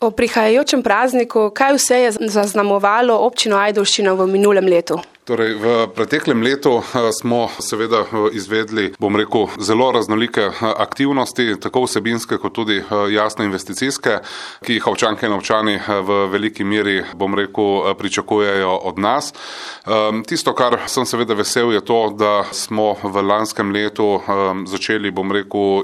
O prihajajočem prazniku, kaj vse je zaznamovalo občino Ajdovščina v minulem letu? Torej, v preteklem letu smo seveda izvedli, zelo raznolike aktivnosti, tako vsebinske kot tudi jasno investicijske, ki jih občanke in občani v veliki meri, pričakujejo od nas. Tisto, kar sem seveda vesel, je to, da smo v lanskem letu začeli,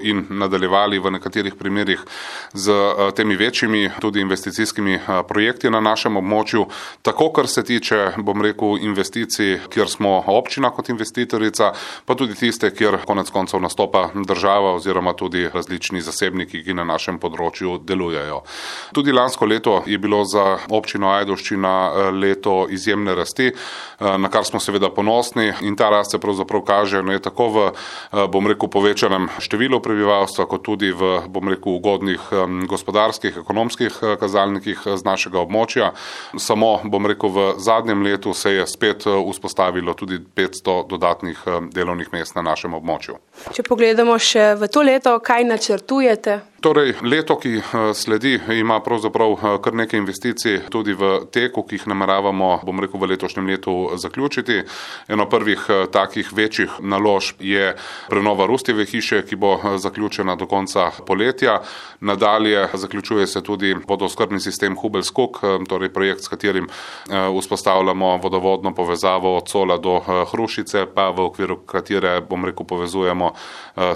in nadaljevali v nekaterih primerih z temi večjimi tudi investicijskimi projekti na našem območju, tako kar se tiče, investicij, kjer smo občina kot investitorica, pa tudi tiste, kjer konec koncev nastopa država oziroma tudi različni zasebniki, ki na našem področju delujejo. Tudi lansko leto je bilo za občino Ajdovščina leto izjemne rasti, na kar smo seveda ponosni, in ta rast se pravzaprav kaže tako v, povečanem številu prebivalstva, kot tudi v, ugodnih gospodarskih, ekonomskih kazalnikih z našega območja. Samo, v zadnjem letu se je spet vzpostavilo tudi 500 dodatnih delovnih mest na našem območju. Če pogledamo še v to leto, kaj načrtujete? Torej, leto, ki sledi, ima pravzaprav kar nekaj investicij tudi v teku, ki jih nameravamo, v letošnjem letu zaključiti. Eno prvih takih večjih naložb je prenova Rustjeve hiše, ki bo zaključena do konca poletja. Nadalje zaključuje se tudi vodooskrbni sistem Hubelj-Skok, torej projekt, s katerim vzpostavljamo vodovodno povezavo od Cola do Hrušice, pa v okviru katere, povezujemo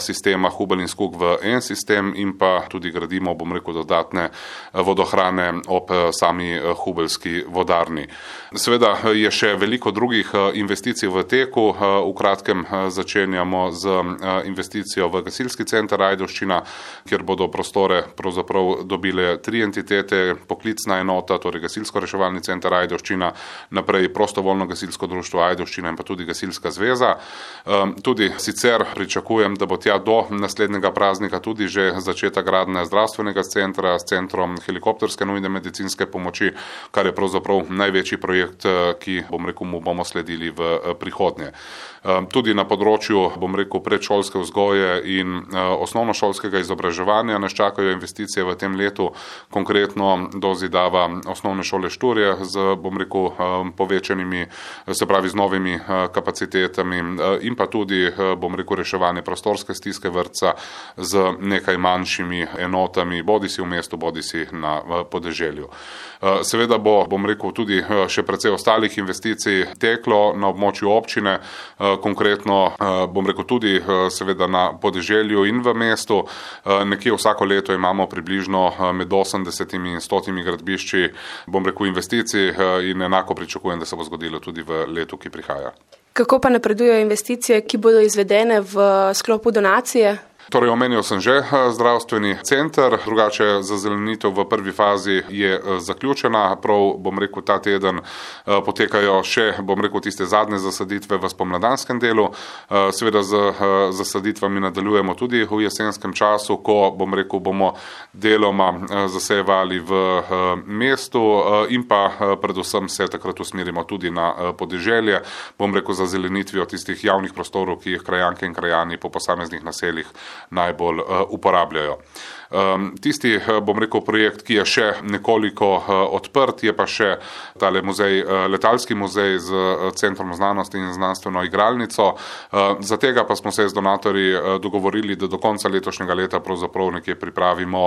sistema Hubelj in Skok v en sistem, in pa tudi gradimo, dodatne vodohrane ob sami hubeljski vodarni. Seveda je še veliko drugih investicij v teku. V kratkem začenjamo z investicijo v gasilski center Ajdovščina, kjer bodo prostore pravzaprav dobile 3 entitete, poklicna enota, torej gasilsko-reševalni center Ajdovščina, naprej prostovoljno gasilsko društvo Ajdovščina in pa tudi gasilska zveza. Tudi sicer pričakujem, da bo tja do naslednjega praznika tudi že začetek gradnje zdravstvenega centra s centrom helikopterske nujne medicinske pomoči, kar je pravzaprav največji projekt, ki, mu bomo sledili v prihodnje. Tudi na področju, predšolske vzgoje in osnovnošolskega izobraževanja nas čakajo investicije v tem letu, konkretno do zidava osnovne šole Šturje z, povečanimi, se pravi z novimi kapacitetami, in pa tudi, reševanje prostorske stiske vrtca z nekaj manjšimi enotami, bodisi v mestu, bodisi na podeželju. Seveda bo, tudi še precej ostalih investicij teklo na območju občine, konkretno, tudi seveda na podeželju in v mestu. Nekje vsako leto imamo približno med 80 in 100 gradbišči, investicij, in enako pričakujem, da se bo zgodilo tudi v letu, ki prihaja. Kako pa napredujejo investicije, ki bodo izvedene v sklopu donacije? Torej, omenil sem že zdravstveni center, drugače zazelenitev v prvi fazi je zaključena, prav, ta teden potekajo še, tiste zadnje zasaditve v spomladanskem delu. Seveda z zasaditvami nadaljujemo tudi v jesenskem času, ko, bomo deloma zasejevali v mestu, in pa predvsem se takrat usmerimo tudi na podeželje, za zelenitvijo tistih javnih prostorov, ki jih krajanke in krajani po posameznih naseljih najbolj uporabljajo. Tisti, projekt, ki je še nekoliko odprt, je pa še tale muzej, letalski muzej z Centrom znanosti in znanstveno igralnico. Za tega pa smo se z donatorji dogovorili, da do konca letošnjega leta pravzaprav nekje pripravimo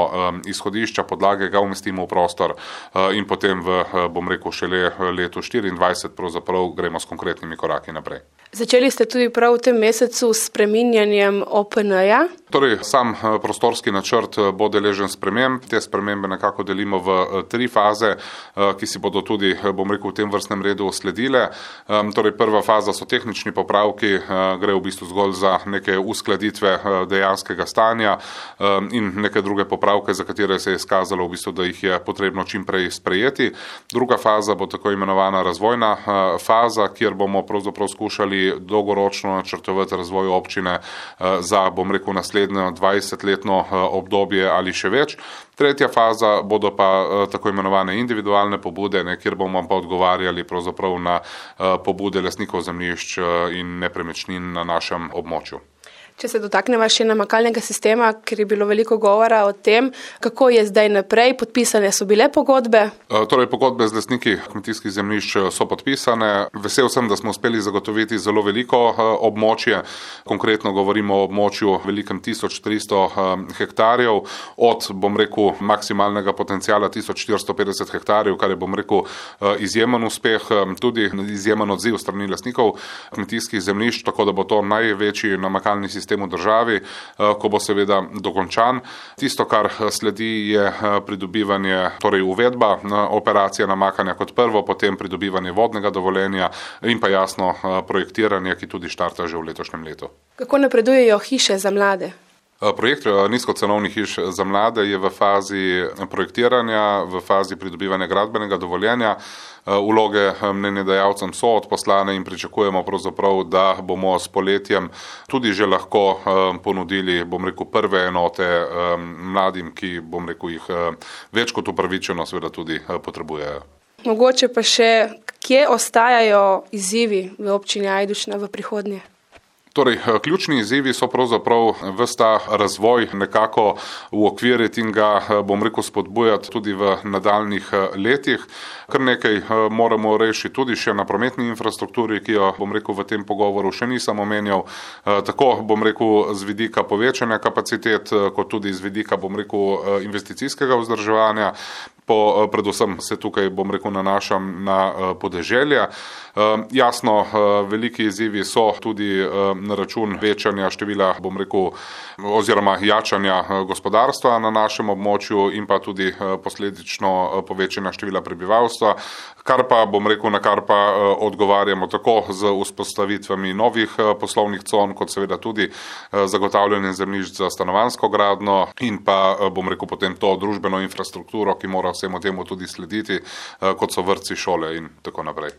izhodišča, podlage, ga umestimo v prostor, in potem v, šele letu 2024 pravzaprav gremo s konkretnimi koraki naprej. Začeli ste tudi prav v tem mesecu s spreminjanjem OPN-ja? Torej, sam prostorski načrt bo deležen sprememb. Te spremembe nekako delimo v 3 faze, ki si bodo tudi, v tem vrstnem redu sledile. Torej, prva faza so tehnični popravki, gre v bistvu zgolj za neke uskladitve dejanskega stanja in neke druge popravke, za katere se je izkazalo, da jih je potrebno čim prej sprejeti. Druga faza bo tako imenovana razvojna faza, kjer bomo pravzaprav skušali dolgoročno načrtovati razvoj občine za, naslednjo 20-letno obdobje ali še več. Tretja faza bodo pa tako imenovane individualne pobude, kjer bomo pa odgovarjali pravzaprav na pobude lastnikov zemljišč in nepremičnin na našem območju. Če se dotakneva še namakalnega sistema, ker je bilo veliko govora o tem, kako je zdaj naprej, podpisane so bile pogodbe? Torej, pogodbe z lastniki kmetijskih zemljišč so podpisane. Vesel sem, da smo uspeli zagotoviti zelo veliko območje. Konkretno govorimo o območju velikem 1300 hektarjev, od, maksimalnega potencijala 1450 hektarjev, kar je, izjemen uspeh, tudi izjemen odziv strani lastnikov kmetijskih zemljišč, tako da bo to največji namakalni sistem v državi, ko bo seveda dokončan. Tisto, kar sledi, je pridobivanje, torej uvedba operacije namakanja kot prvo, potem pridobivanje vodnega dovoljenja in pa jasno projektiranje, ki tudi štarta že v letošnjem letu. Kako napredujejo hiše za mlade? Projekt nizkocenovnih hiš za mlade je v fazi projektiranja, v fazi pridobivanja gradbenega dovoljenja. Vloge mnenjedajalcem so odposlane in pričakujemo pravzaprav, da bomo s poletjem tudi že lahko ponudili, prve enote mladim, ki, jih več kot upravičeno seveda tudi potrebujejo. Mogoče pa še, kje ostajajo izzivi v občini Ajdovščina v prihodnje? Torej, ključni izzivi so pravzaprav ves ta razvoj nekako uokviriti in ga, spodbujati tudi v nadaljnjih letih. Kar nekaj moramo rešiti tudi še na prometni infrastrukturi, ki jo, v tem pogovoru še nisem omenjal, tako, z vidika povečanja kapacitet, kot tudi z vidika, investicijskega vzdrževanja. Predvsem se tukaj, nanašam na podeželje. Jasno, veliki izzivi so tudi na račun večanja števila, oziroma jačanja gospodarstva na našem območju in pa tudi posledično povečanja števila prebivalstva, kar pa, na kar pa odgovarjamo tako z vzpostavitvami novih poslovnih con, kot seveda tudi zagotavljanje zemljišč za stanovanjsko gradnjo in pa, potem to družbeno infrastrukturo, ki mora vsemu temu tudi slediti, kot so vrtci, šole in tako naprej.